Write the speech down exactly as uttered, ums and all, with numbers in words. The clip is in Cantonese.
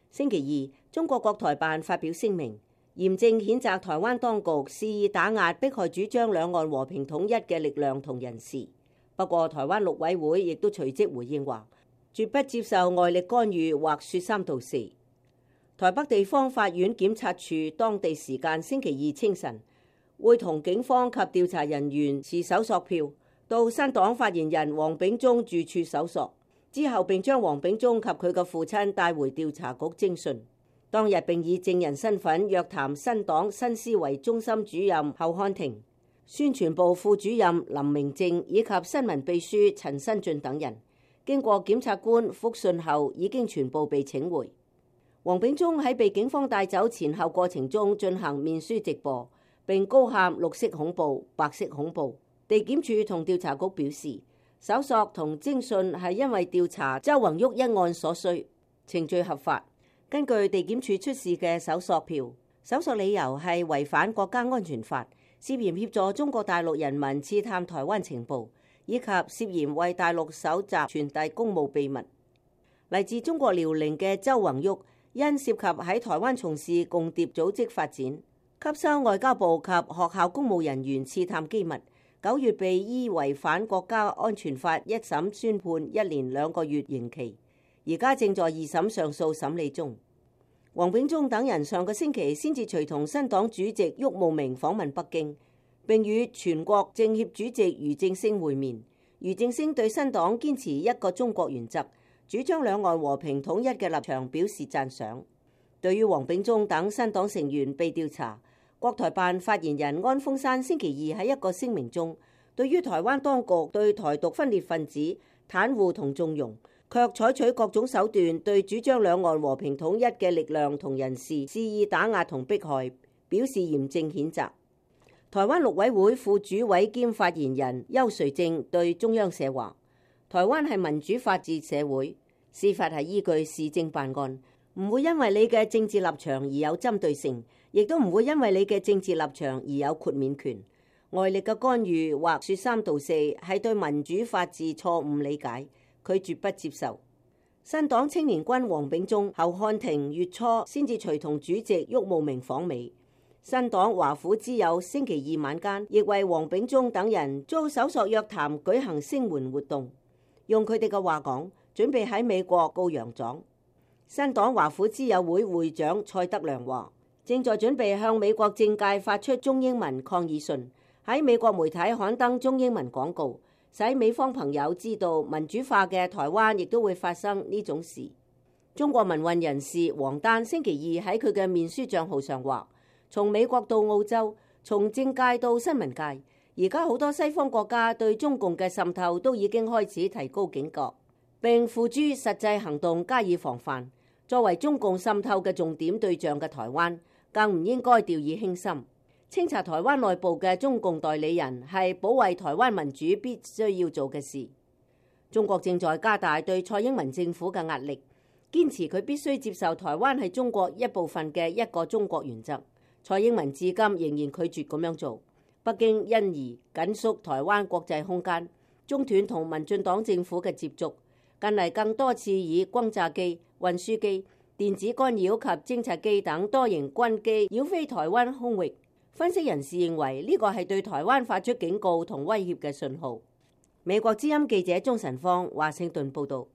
星期二，中國國台辦發表聲明，嚴正譴責台灣當局肆意打壓迫害主張兩岸和平統一嘅力量同人士。不過，台灣陸委會亦都隨即回應話，絕不接受外力干預或説三道四。台北地方法院檢察處當地時間星期二清晨，會同警方及調查人員持搜索票到新黨發言人黃炳忠住處搜索，之後並將黃炳忠及佢嘅父親帶回調查局偵訊。當日並以證人身份約談新黨新思維中心主任侯漢廷、宣傳部副主任林明正以及新聞秘書陳新進等人。經過檢察官覆訊後，已經全部被請回。黃炳忠喺被警方帶走前後過程中進行面書直播，並高喊綠色恐怖、白色恐怖。地檢署同調查局表示，搜索同偵訊係因為調查周宏旭一案所需，程序合法。根據地檢署出示嘅搜索票，搜索理由係違反國家安全法，涉嫌協助中國大陸人民刺探台灣情報，以及涉嫌為大陸搜集傳遞公務秘密。嚟自中國遼寧嘅周宏旭因涉及喺台灣從事共諜組織發展，吸收外交部及學校公務人員刺探機密，九月被依違反國家安全法一審宣判一年兩個月刑期，而家正在二審上訴審理中。黃炳忠等人上個星期先至隨同新黨主席郁慕明訪問北京，並與全國政協主席俞正聲會面。俞正聲對新黨堅持一個中國原則，主張兩岸和平統一嘅立場表示讚賞。對於黃炳忠等新黨成員被調查，國台辦發言人安峰山星期二喺一個聲明中，對於台灣當局對台獨分裂分子袒護同縱容，卻採取各種手段對主張兩岸和平統一嘅力量同人士肆意打壓同迫害，表示嚴正譴責。台灣陸委會副主委兼發言人邱垂正對中央社話，台灣係民主法治社會，司法係依據事證辦案，唔會因為你嘅政治立場而有針對性，亦都唔會因為你嘅政治立場而有豁免權。外力嘅干預或說三道四係對民主法治錯誤理解，佢絕不接受。新黨青年軍黃炳忠、侯漢廷月初先至隨同主席郁慕明訪美。新黨華府之友星期二晚間亦為黃炳忠等人遭搜索約談舉行聲援活動。用佢哋嘅話講，準備喺美國告洋狀。新黨華府之友會會長蔡德良話，正在準備向美國政界發出中英文抗議信，喺美國媒體刊登中英文廣告，使美方朋友知道民主化嘅台灣亦都會發生呢種事。中國民運人士王丹星期二喺佢嘅面書賬號上話，從美國到澳洲，從政界到新聞界，而家好多西方國家對中共嘅滲透都已經開始提高警覺，並付諸實際行動加以防範。作為中共滲透嘅重點對象嘅台灣，更唔應該掉以輕心。清查台灣內部嘅中共代理人係保衛台灣民主必須要做嘅事。中國正在加大對蔡英文政府嘅壓力，堅持佢必須接受台灣係中國一部分嘅一個中國原則。蔡英文至今仍然拒絕咁樣做，北京因而緊縮台灣國際空間，中斷同民進黨政府嘅接觸。近嚟更多次以轟炸機、運輸機、電子干擾及偵察機等多型軍機繞飛台灣空域。分析人士認為呢個係對台灣發出警告同威脅嘅信號。美國之音記者鍾晨芳華盛頓報道。